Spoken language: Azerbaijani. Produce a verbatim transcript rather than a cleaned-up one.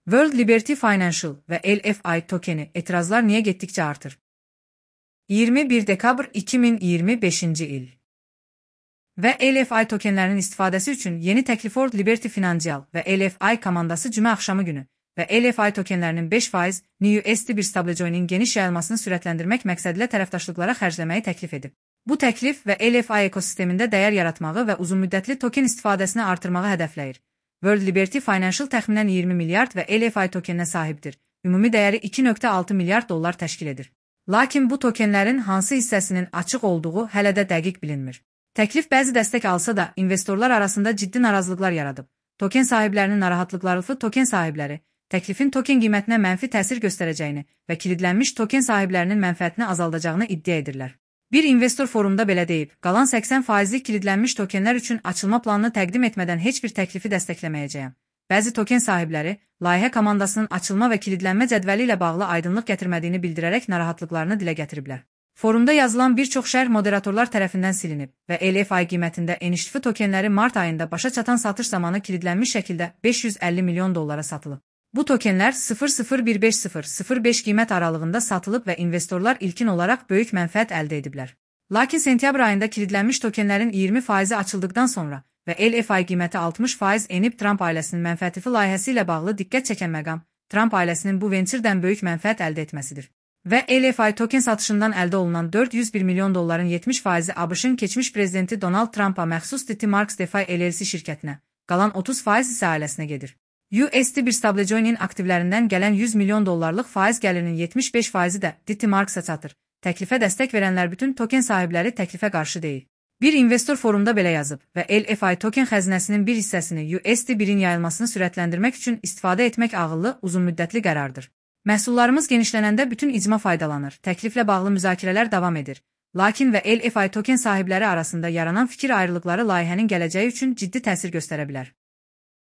World Liberty Financial ve L F I tokeni etirazlar niye getdikçe artır? iyirmi bir dekabr iki min iyirmi beşinci il və L F I tokenlərinin istifadəsi üçün yeni təklif World Liberty Financial və L F I komandası cümə axşamı günü və L F I tokenlərinin beş faiz N U S D bir stablecoin'in geniş yayılmasını sürətləndirmək məqsədilə tərəfdaşlıqlara xərcləməyi təklif edib. Bu təklif və L F I ekosistemində dəyər yaratmağı və uzunmüddətli token istifadəsini artırmağı hədəfləyir. World Liberty Financial təxminən iyirmi milyard və L F I tokeninə sahibdir. Ümumi dəyəri iki nöqtə altı milyard dollar təşkil edir. Lakin bu tokenlərin hansı hissəsinin açıq olduğu hələ də dəqiq bilinmir. Təklif bəzi dəstək alsa da investorlar arasında ciddi narazılıqlar yaradıb. Token sahiblərinin narahatlıqları token sahibləri, təklifin token qiymətinə mənfi təsir göstərəcəyini və kilidlənmiş token sahiblərinin mənfəətini azaldacağını iddia edirlər. Bir investor forumda belə deyib, qalan səksən faizlik kilidlənmiş tokenlər üçün açılma planını təqdim etmədən heç bir təklifi dəstəkləməyəcəyəm. Bəzi token sahibləri, layihə komandasının açılma və kilidlənmə cədvəli ilə bağlı aydınlıq gətirmədiyini bildirərək narahatlıqlarını dilə gətiriblər. Forumda yazılan bir çox şərh moderatorlar tərəfindən silinib və L F I qiymətində eniştifi tokenləri mart ayında başa çatan satış zamanı kilidlənmiş şəkildə beş yüz əlli milyon dollara satılıb. Bu tokenlər sıfır sıfır bir beş sıfır sıfır beş qiymət aralığında satılıb və investorlar ilkin olaraq böyük mənfəət əldə ediblər. Lakin sentyabr ayında kilidlənmiş tokenlərin iyirmi faizi açıldıqdan sonra və L F I qiyməti altmış faiz enib Trump ailəsinin mənfəətifi layihəsi ilə bağlı diqqət çəkən məqam, Trump ailəsinin bu venturdən böyük mənfəət əldə etməsidir. Və L F I token satışından əldə olunan dörd yüz bir milyon dolların yetmiş faizi ABŞ-ın keçmiş prezidenti Donald Trump'a məxsus DigiMarks DeFi L L C şirkətinə, qalan otuz faiz isə ailəsinə gedir. U S D bir stablecoin'in aktivlərindən gələn yüz milyon dollarlıq faiz gəlirinin yetmiş beş faizi də DigiMarks'a çatır. Təklifə dəstək verənlər bütün token sahibləri təklifə qarşı deyil. Bir investor forumda belə yazıb və L F I token xəzinəsinin bir hissəsini U S D birin yayılmasını sürətləndirmək üçün istifadə etmək ağıllı, uzunmüddətli qərardır. Məhsullarımız genişlənəndə bütün icma faydalanır, təkliflə bağlı müzakirələr davam edir. Lakin və L F I token sahibləri arasında yaranan fikir ayrılıqları layihənin gələcəyi üçün ciddi təsir göstərə bilər.